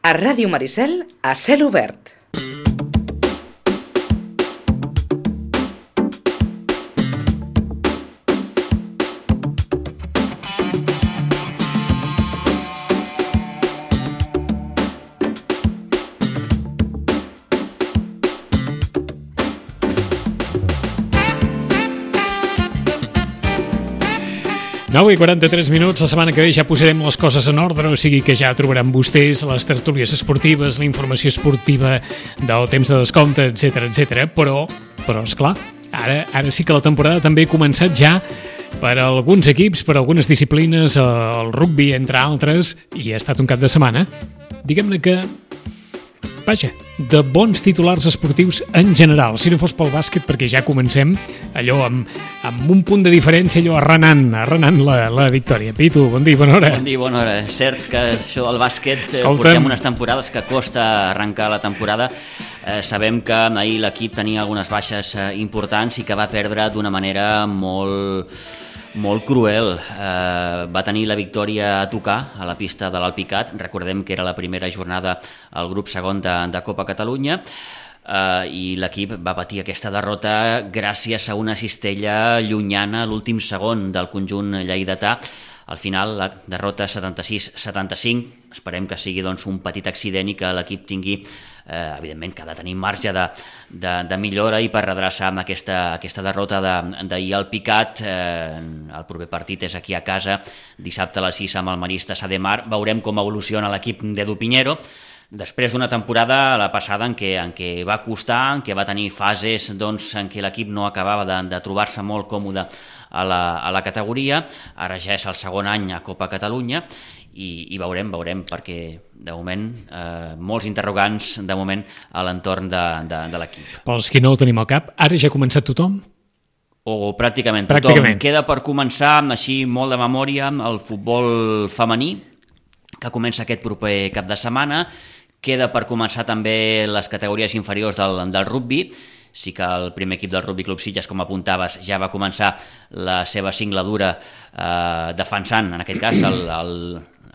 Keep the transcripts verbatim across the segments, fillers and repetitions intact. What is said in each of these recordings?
A Ràdio Maricel, a cel obert. nou i quaranta-tres minuts, la setmana que ve ja posarem les coses en ordre, o sigui que ja trobaran vostès les tertúlies esportives, la informació esportiva del temps de descompte, etcètera, etcètera. Però, però esclar, ara, ara sí que la temporada també ha començat ja per a alguns equips, per a algunes disciplines, el rugby, entre altres, i ha estat un cap de setmana, diguem-ne que, vaja, de bons titulars esportius en general. Si no fos pel bàsquet, perquè ja comencem allò amb, amb un punt de diferència, allò arrenant, arrenant la, la victòria. Pitu, bon dia, bona hora. Bon dia, bona hora. És cert que això del bàsquet Escolta'm. portem unes temporades que costa arrencar la temporada. Eh, sabem que ahir l'equip tenia algunes baixes eh, importants i que va perdre d'una manera molt... molt cruel. Eh, va tenir la victòria a tocar a la pista de l'Alpicat. Recordem que era la primera jornada al grup segon de, de Copa Catalunya, eh, i l'equip va patir aquesta derrota gràcies a una cistella llunyana a l'últim segon del conjunt lleidatà. Al final, la derrota setanta-sis a setanta-cinc. Esperem que sigui doncs, un petit accident i que l'equip tingui, eh, evidentment, que ha de tenir marge de, de, de millora i per redreçar amb aquesta, aquesta derrota d'ahir al Picat. Eh, el proper partit és aquí a casa, dissabte a les sis amb el Marista Sa de Mar. Veurem com evoluciona l'equip d'Edu Piñero. Després d'una temporada, la passada, en què, en què va costar, en què va tenir fases doncs, en què l'equip no acabava de, de trobar-se molt còmode a la, a la categoria. Ara ja és el segon any a Copa Catalunya i, i veurem, veurem, perquè de moment eh, molts interrogants de moment a l'entorn de, de, de l'equip. Pels qui no ho tenim al cap, ara ja ha començat tothom? O pràcticament tothom. Pràcticament. Queda per començar, així molt de memòria, el futbol femení, que comença aquest proper cap de setmana. Queda per començar també les categories inferiors del, del rugby. Sí que el primer equip del Rugby Club Sitges, com apuntaves, ja va començar la seva singladura eh, defensant, en aquest cas, el, el,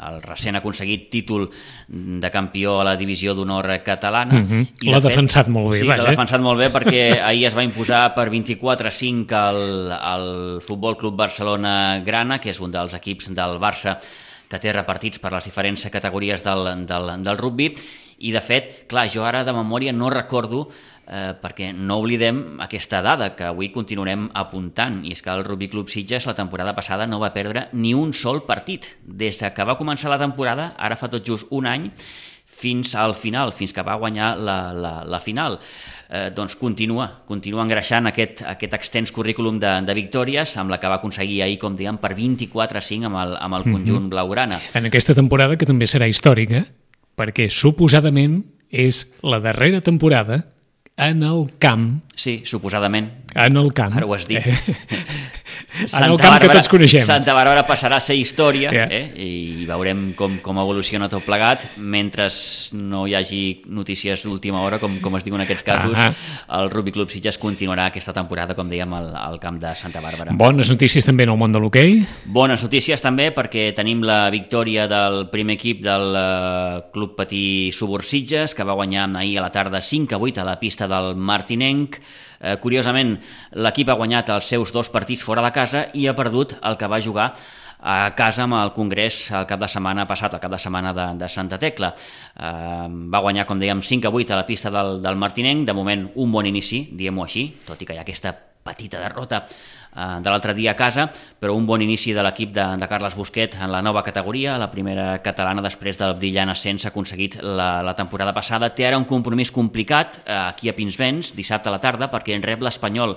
el recent aconseguit títol de campió a la divisió d'honor catalana. Mm-hmm. I L'ha de fet, defensat molt bé. Sí, vaja. l'ha defensat molt bé perquè ahir es va imposar per vint-i-quatre a cinc al, al Futbol Club Barcelona Grana, que és un dels equips del Barça que té repartits per les diferents categories del, del, del rugby. I, de fet, clar, jo ara de memòria no recordo, eh, perquè no oblidem aquesta dada que avui continuarem apuntant, i és que el Rugby Club Sitges la temporada passada no va perdre ni un sol partit. Des que va començar la temporada, ara fa tot just un any, fins al final, fins que va guanyar la, la, la final. Eh, doncs continua, continua engreixant aquest, aquest extens currículum de, de victòries, amb la que va aconseguir ahir, com dèiem, per vint-i-quatre a cinc amb el, amb el conjunt mm-hmm. blaugrana. En aquesta temporada, que també serà històrica, perquè suposadament és la darrera temporada en el camp. Sí, suposadament. En el camp. Ara ho has dit. En el camp Bàrbara, que tots coneixem. Santa Bàrbara passarà a ser història, yeah. eh? I veurem com, com evoluciona tot plegat. Mentre no hi hagi notícies d'última hora, com, com es diu en aquests casos, uh -huh. el Rugby Club Sitges continuarà aquesta temporada, com dèiem, al, al camp de Santa Bàrbara. Bones notícies també en el món de l'hoquei. Bones notícies també, perquè tenim la victòria del primer equip del uh, Club Patí Subur Sitges, que va guanyar ahir a la tarda cinc a vuit a la pista del Martinenc. Eh, curiosament, l'equip ha guanyat els seus dos partits fora de casa i ha perdut el que va jugar a casa amb el Congrés el cap de setmana passat, el cap de setmana de, de Santa Tecla. Eh, va guanyar, com dèiem, cinc a vuit a la pista del, del Martinenc. De moment, un bon inici, diguem-ho així, tot i que hi ha aquesta petita derrota eh, de l'altre dia a casa, però un bon inici de l'equip de, de Carles Busquet en la nova categoria, la primera catalana després del brillant ascens aconseguit la, la temporada passada. Té ara un compromís complicat eh, aquí a Pinsbens, dissabte a la tarda, perquè en rep l'Espanyol.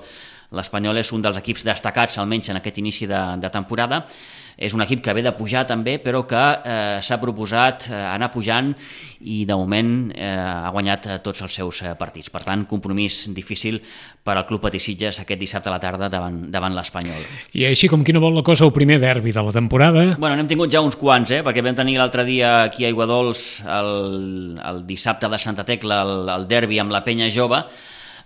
L'Espanyol és un dels equips destacats, almenys en aquest inici de, de temporada. És un equip que ve de pujar també, però que eh, s'ha proposat eh, anar pujant i de moment eh, ha guanyat eh, tots els seus eh, partits. Per tant, compromís difícil per al Club Patí Sitges aquest dissabte a la tarda davant, davant l'Espanyol. I així com qui no vol la cosa, el primer derbi de la temporada. Bueno, n'hem tingut ja uns quants, eh? Perquè vam tenir l'altre dia aquí a Aiguadols el, el dissabte de Santa Tecla, el, el derbi amb la Penya Jove.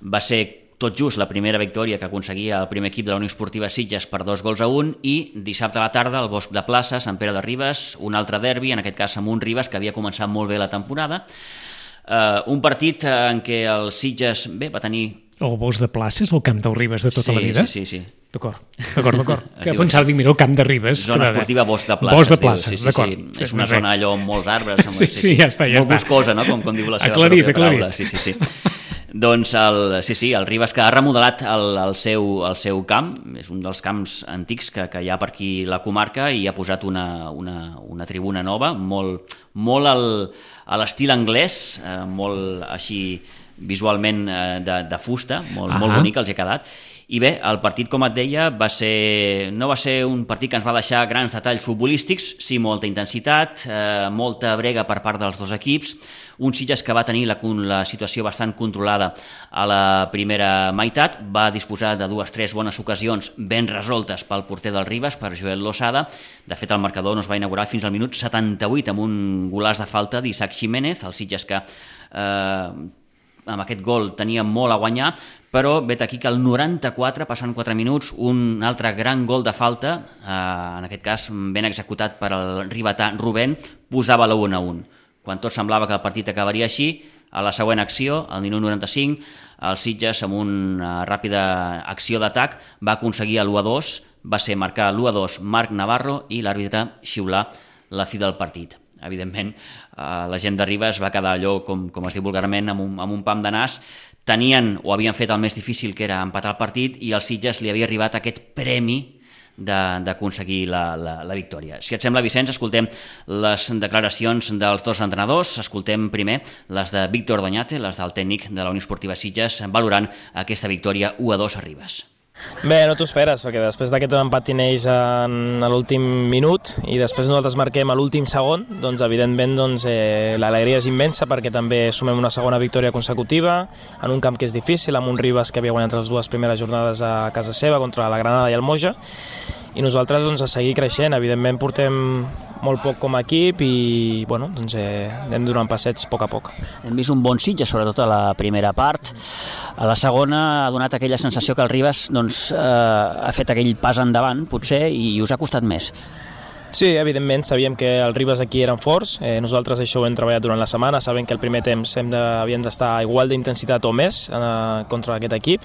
Va ser tot just la primera victòria que aconseguia el primer equip de la Unió Esportiva Sitges per dos gols a un, i dissabte a la tarda al Bosc de Plaça, Sant Pere de Ribes, un altre derbi, en aquest cas amb un Ribes que havia començat molt bé la temporada. Uh, un partit en què el Sitges, bé, va tenir... El Bosc de Plaça és el camp del Ribes de tota sí, la vida? Sí, sí, sí. D'acord, d'acord, d'acord. Que pensava, dic, mira, el camp de Ribes. Zona esportiva Bosc de Plaça. Bosc de Plaça, sí, sí, d'acord. Sí. És una zona allò amb molts arbres. Amb, sí, sí, ja està, ja molt està. boscosa, no? Com, com diu la seva aclarit, pròpia paraula. Aclarit. Sí, sí, sí. Doncs el, sí, sí, el Ribes que ha remodelat el, el, seu, el seu camp, és un dels camps antics que, que hi ha per aquí la comarca, i ha posat una, una, una tribuna nova, molt, molt al, a l'estil anglès, eh, molt així visualment eh, de, de fusta, molt, uh-huh. molt bonic els ha quedat. I bé, el partit, com et deia, va ser, no va ser un partit que ens va deixar grans detalls futbolístics, sí molta intensitat, eh, molta brega per part dels dos equips, un Sitges que va tenir la, la situació bastant controlada a la primera meitat, va disposar de dues tres bones ocasions ben resoltes pel porter del Ribes, per Joel Losada. De fet, el marcador no es va inaugurar fins al minut setanta-vuit amb un golaç de falta d'Isaac Jiménez, el Sitges que eh, amb aquest gol tenia molt a guanyar, però vet aquí que al noranta-quatre, passant quatre minuts, un altre gran gol de falta, eh, en aquest cas ben executat per el ribetà Rubén, posava la un a un. Quan tot semblava que el partit acabaria així, a la següent acció, al minut noranta-cinc, el Sitges, amb una ràpida acció d'atac, va aconseguir l'u a dos, va ser marcar l'u a dos Marc Navarro, i l'àrbitre xiular la fi del partit. Evidentment, eh, la gent de Ribes va quedar allò, com, com es diu vulgarment, amb un, amb un pam de nas. Tenien o havien fet el més difícil, que era empatar el partit, i al Sitges li havia arribat aquest premi d'aconseguir la, la, la victòria. Si et sembla, Vicenç, escoltem les declaracions dels dos entrenadors. Escoltem primer les de Víctor Doñate, les del tècnic de la Unió Esportiva Sitges, valorant aquesta victòria u a dos a Ribes. Bé, no t'ho esperes, perquè després d'aquest empat neix en l'últim minut i després nosaltres marquem a l'últim segon, doncs evidentment doncs, eh, l'alegria és immensa, perquè també sumem una segona victòria consecutiva en un camp que és difícil, amb un Ribes que havia guanyat les dues primeres jornades a casa seva contra la Granada i el Moja, i nosaltres doncs, a seguir creixent. Evidentment portem molt poc com a equip i bueno, doncs, eh, anem donant passets a poc a poc. Hem vist un bon Sitges, sobretot a la primera part. A la segona ha donat aquella sensació que el Ribes doncs, eh, ha fet aquell pas endavant, potser, i us ha costat més. Sí, evidentment, sabíem que els Ribes aquí eren forts, eh, nosaltres això ho hem treballat durant la setmana, sabem que el primer temps hem de, havíem d'estar igual d'intensitat o més eh, contra aquest equip,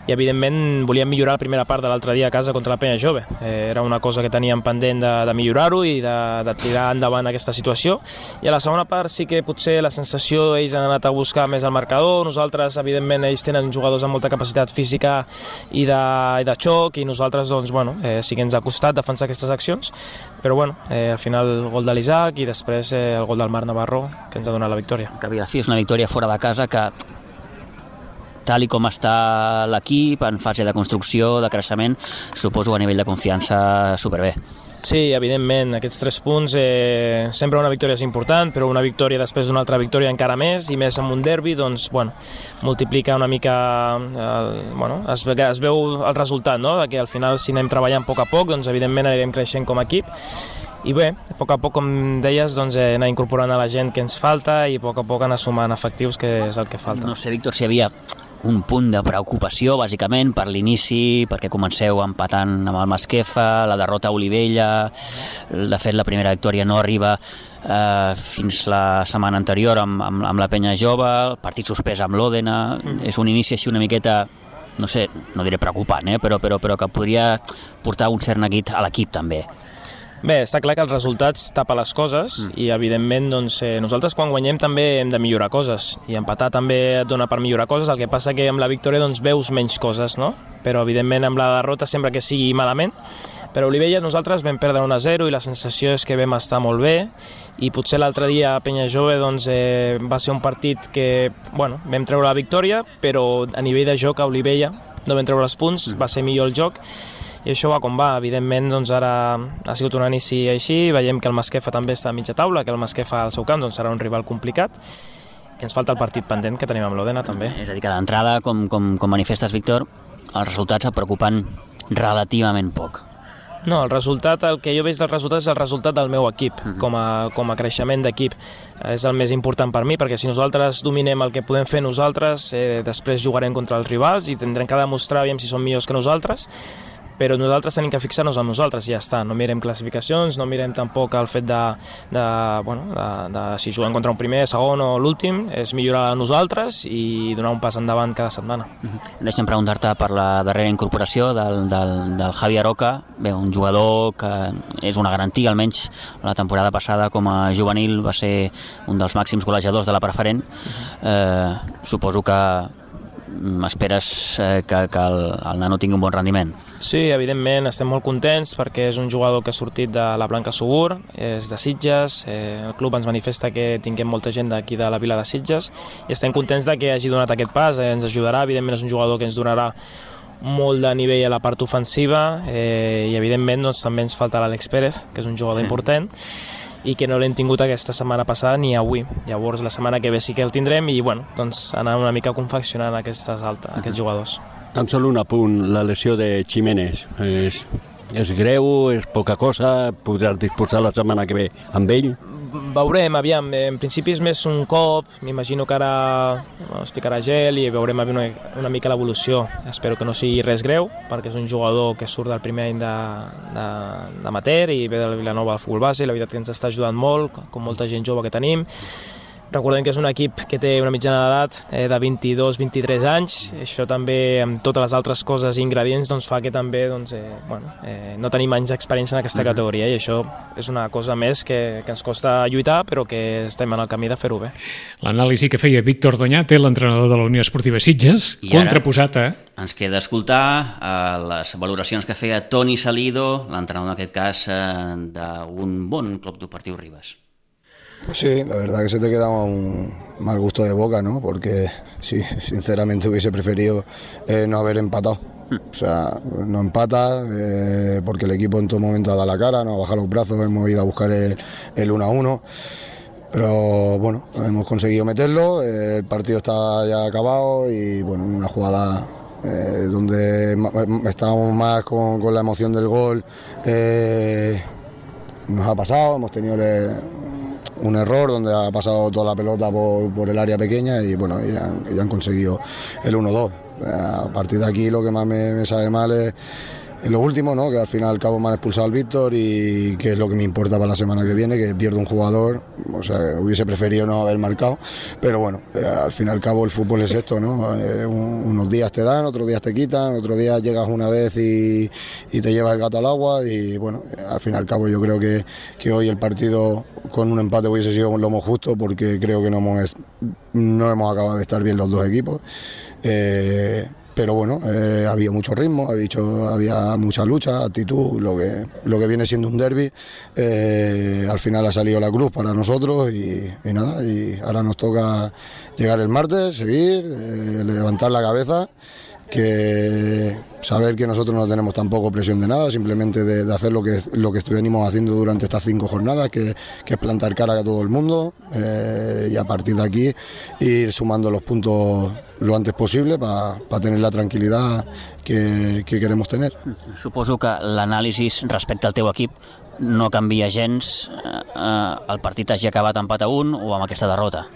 i evidentment volíem millorar la primera part de l'altre dia a casa contra la Penya Jove. Eh, era una cosa que teníem pendent de, de millorar-ho i de, de tirar endavant aquesta situació, i a la segona part sí que potser la sensació ells han anat a buscar més el marcador, nosaltres evidentment ells tenen jugadors amb molta capacitat física i de, i de xoc, i nosaltres doncs, bueno, eh, sí que ens ha costat defensar aquestes accions, però bueno, eh, al final el gol de l'Isaac i després eh, el gol del Marc Navarro que ens ha donat la victòria. Que a la fi és una victòria fora de casa que, tal i com està l'equip en fase de construcció, de creixement, suposo a nivell de confiança superbé. Sí, evidentment, aquests tres punts, eh, sempre una victòria és important, però una victòria després d'una altra victòria encara més, i més amb un derbi, doncs, bueno, multiplica una mica, el, bueno, es, es veu el resultat, no?, de que al final si anem treballant a poc a poc, doncs evidentment anirem creixent com a equip, i bé, a poc a poc, com deies, doncs, eh, anar incorporant a la gent que ens falta i a poc a poc anar sumant efectius, que és el que falta. No sé, Víctor, si hi havia un punt de preocupació, bàsicament, per l'inici, perquè comenceu empatant amb el Masquefa, la derrota a Olivella, de fet la primera victòria no arriba eh, fins la setmana anterior amb, amb, amb la Penya Jove, el partit suspès amb l'Òdena, mm. és un inici així una miqueta, no sé, no diré preocupant, eh, però, però, però que podria portar un cert neguit a l'equip també. Bé, està clar que els resultats tapa les coses mm. i evidentment doncs, eh, nosaltres quan guanyem també hem de millorar coses i empatar també et dona per millorar coses, el que passa que amb la victòria doncs, veus menys coses, no? Però evidentment amb la derrota sempre que sigui malament, però a Olivella nosaltres vam perdre un a zero i la sensació és que vam estar molt bé, i potser l'altre dia a Penya Jove doncs, eh, va ser un partit que bueno, vam treure la victòria, però a nivell de joc a Olivella no vam treure els punts, mm. va ser millor el joc, i això va com va. Evidentment doncs ara ha sigut un inici així, veiem que el Masquefa també està a mitja taula, que el Masquefa al seu camp doncs, serà un rival complicat, que ens falta el partit pendent que tenim amb l'Òdena també. És a dir, que d'entrada, com, com, com manifestes, Víctor, els resultats et preocupen relativament poc. No, el resultat, el que jo veig del resultat és el resultat del meu equip, uh-huh. com, a, com a creixement d'equip. És el més important per mi, perquè si nosaltres dominem el que podem fer nosaltres, eh, després jugarem contra els rivals i tindrem que demostrar aviam si són millors que nosaltres, però nosaltres tenim que fixar-nos en nosaltres i ja està. No mirem classificacions, no mirem tampoc el fet de, de, bueno, de, de si juguem contra un primer, segon o l'últim, és millorar nosaltres i donar un pas endavant cada setmana. Uh-huh. Deixa'm preguntar-te per la darrera incorporació del, del, del Javi Aroca, bé, un jugador que és una garantia, almenys la temporada passada com a juvenil va ser un dels màxims golejadors de la preferent. Uh-huh. Eh, suposo que esperes eh, que, que el, el nano tingui un bon rendiment. Sí, evidentment, estem molt contents perquè és un jugador que ha sortit de la Blanca Subur, és de Sitges, eh, el club ens manifesta que tinguem molta gent d'aquí de la vila de Sitges i estem contents de que hagi donat aquest pas, eh, ens ajudarà, evidentment és un jugador que ens donarà molt de nivell a la part ofensiva eh, i evidentment doncs, també ens falta l'Àlex Pérez, que és un jugador sí. important i que no l'hem tingut aquesta setmana passada ni avui. Llavors la setmana que ve sí que el tindrem i bueno, doncs anar una mica confeccionant aquestes altes, uh-huh. aquests jugadors. Tan sol un apunt, la lesió de Ximénez és, és greu, és poca cosa, podràs disposar la setmana que ve amb ell? Veurem, aviam, en principi és més un cop, m'imagino que ara es ficarà gel i veurem una, una mica l'evolució. Espero que no sigui res greu, perquè és un jugador que surt del primer any d'amateur i ve de la Vilanova al futbol base, la veritat que ens està ajudant molt, com molta gent jove que tenim. Recordem que és un equip que té una mitjana d'edat eh, de vint-i-dos a vint-i-tres anys, això també amb totes les altres coses i ingredients doncs, fa que també doncs, eh, bueno, eh, no tenim anys d'experiència en aquesta categoria i això és una cosa més que, que ens costa lluitar però que estem en el camí de fer-ho bé. L'anàlisi que feia Víctor Doñate, l'entrenador de la Unió Esportiva Sitges, I contraposat a... Ens queda escoltar eh, les valoracions que feia Toni Salido, l'entrenador en aquest cas eh, d'un bon club deportiu Ribes. Pues sí, la verdad que se te queda un mal gusto de boca, ¿no? Porque sí, sinceramente hubiese preferido eh, no haber empatado. O sea, no empata eh, porque el equipo en todo momento ha dado la cara, no ha bajado los brazos, hemos ido a buscar el, el uno a uno. Pero bueno, hemos conseguido meterlo, eh, el partido está ya acabado y bueno, una jugada eh, donde estábamos más con, con la emoción del gol, eh, nos ha pasado, hemos tenido el, un error donde ha pasado toda la pelota por, por el área pequeña y bueno, y han, y han conseguido el uno dos. A partir de aquí lo que más me, me sabe mal es, es lo último, ¿no? Que al final al cabo me han expulsado al Víctor y que es lo que me importa para la semana que viene, que pierdo un jugador, o sea, hubiese preferido no haber marcado, pero bueno, eh, al fin y al cabo el fútbol es esto, ¿no? Eh, un, unos días te dan, otros días te quitan, otros días llegas una vez y, y te llevas el gato al agua y bueno, al fin y al cabo yo creo que, que hoy el partido con un empate hubiese sido lo más justo porque creo que no hemos, no hemos acabado de estar bien los dos equipos. Eh, pero bueno, eh, había mucho ritmo, había, dicho, había mucha lucha, actitud, lo que, lo que viene siendo un derbi. Eh, al final ha salido la cruz para nosotros y, y nada, y ahora nos toca llegar el martes, seguir, eh, levantar la cabeza, que saber que nosotros no tenemos tampoco presión de nada, simplemente de, de hacer lo que, lo que venimos haciendo durante estas cinco jornadas, que, que es plantar cara a todo el mundo eh, y a partir de aquí ir sumando los puntos lo antes possible per pa tenir la tranquil·litat que, que queremos tener. Suposo que l'anàlisi respecte al teu equip no canvia gens, eh, el partit hagi acabat empat a un o amb aquesta derrota.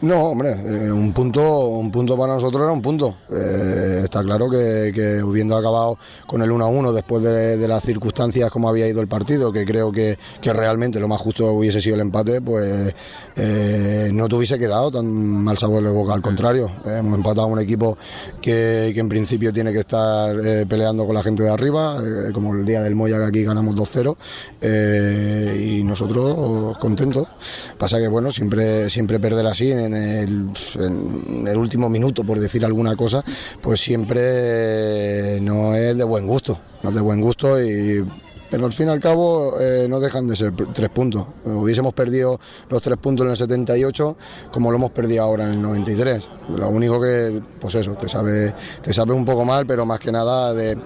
No, hombre, eh, un punto un punto para nosotros era un punto. Eh, está claro que, que habiendo acabado con el uno a uno después de, de las circunstancias como había ido el partido, que creo que, que realmente lo más justo hubiese sido el empate, pues eh, no te hubiese quedado tan mal sabor de boca. Al contrario, eh, hemos empatado a un equipo que, que en principio tiene que estar eh, peleando con la gente de arriba, eh, como el día del Moya, que aquí ganamos dos cero, eh, y nosotros contentos. Pasa que bueno, siempre, siempre perder así en En el, en el último minuto, por decir alguna cosa, pues siempre no es de buen gusto, no es de buen gusto, y, pero al fin y al cabo eh, no dejan de ser tres puntos. Hubiésemos perdido los tres puntos en el setenta y ocho como lo hemos perdido ahora en el noventa y tres. Lo único que, pues eso, te sabe, te sabe un poco mal, pero más que nada de,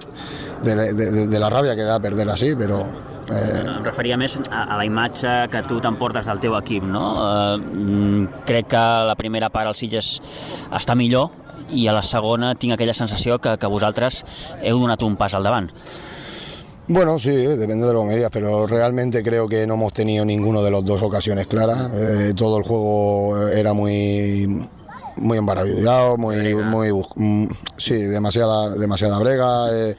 de, de, de, de la rabia que da perder así, però Eh... Em referia més a, a la imatge que tu t'emportes del teu equip, no? Eh, crec que la primera part al Sitges està millor i a la segona tinc aquella sensació que, que vosaltres heu donat un pas al davant. Bueno, sí, depende de lo que me digas, pero realmente creo que no hemos tenido ninguno de los dos ocasiones claras. Eh, todo el juego era muy muy embarallado, muy, muy, muy sí, demasiada, demasiada brega. Eh,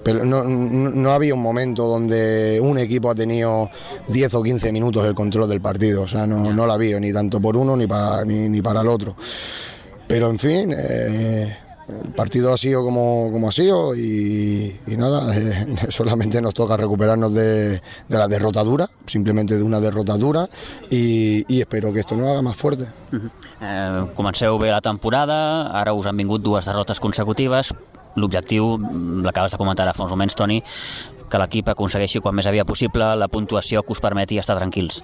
pero no, no, no había un momento donde un equipo ha tenido diez o quince minutos el control del partido, o sea, no, no la había ni tanto por uno ni para, ni, ni para el otro. Pero en fin, eh, el partido ha sido como, como ha sido y, y nada, eh, solamente nos toca recuperarnos de, de la derrota dura, simplemente de una derrota dura y, i espero que esto nos haga más fuerte. Uh-huh. eh, comenceu bé la temporada, ara us han vingut dues derrotes consecutives. L'objectiu, l'acabes de comentar ara fa uns moments, Toni, que l'equip aconsegueixi quan més aviat possible la puntuació que us permeti estar tranquils.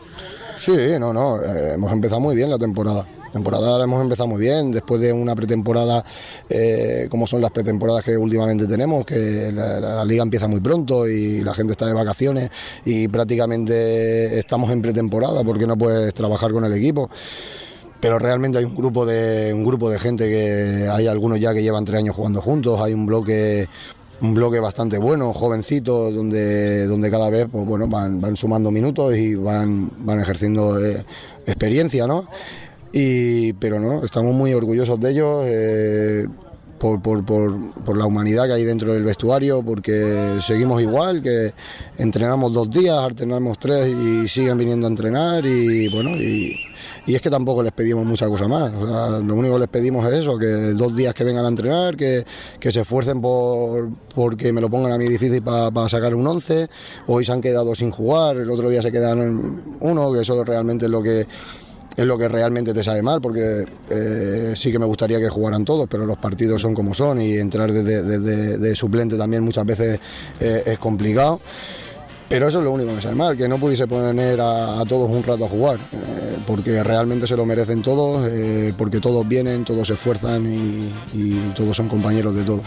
Sí, no, no, eh, hemos empezado muy bien la temporada. La temporada la hemos empezado muy bien, después de una pretemporada, eh, como son las pretemporadas que últimamente tenemos, que la, la, la liga empieza muy pronto y la gente está de vacaciones y prácticamente estamos en pretemporada porque no puedes trabajar con el equipo. Pero realmente hay un grupo de un grupo de gente que hay algunos ya que llevan tres años jugando juntos, hay un bloque un bloque bastante bueno, jovencito, donde donde cada vez pues bueno van van sumando minutos y van van ejerciendo eh, experiencia, ¿no? Y pero no, estamos muy orgullosos de ellos. Eh, Por, por, por, por la humanidad que hay dentro del vestuario, porque seguimos igual, que entrenamos dos días, alternamos tres y siguen viniendo a entrenar y bueno, y, y es que tampoco les pedimos mucha cosa más, o sea, lo único que les pedimos es eso, que dos días que vengan a entrenar, que, que se esfuercen por porque me lo pongan a mí difícil para pa sacar un once. Hoy se han quedado sin jugar, el otro día se quedaron uno, que eso realmente es lo que es lo que realmente te sabe mal, porque eh, sí que me gustaría que jugaran todos, pero los partidos son como son y entrar desde de, de, de suplente también muchas veces eh, es complicado. Pero eso es lo único que me sabe mal, que no pudiese poner a, a todos un rato a jugar, eh, porque realmente se lo merecen todos, eh, porque todos vienen, todos se esfuerzan y, y todos son compañeros de todo.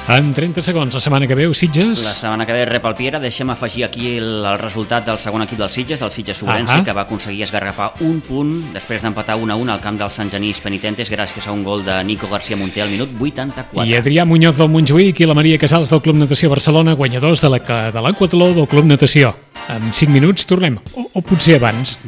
En trenta segons, la setmana que ve, Sitges... La setmana que ve rep el Piera. Deixem afegir aquí el, el resultat del segon equip del Sitges, del Sitges-Ourense, uh-huh. que va aconseguir esgarrapar un punt després d'empatar un a un al camp del Sant Genís Penitentes gràcies a un gol de Nico García Monté al minut vuitanta-quatre. I Adrià Muñoz del Montjuïc i la Maria Casals del Club Natació Barcelona, guanyadors de la de l'Aquatló del Club Natació. En cinc minuts tornem, o, o potser abans.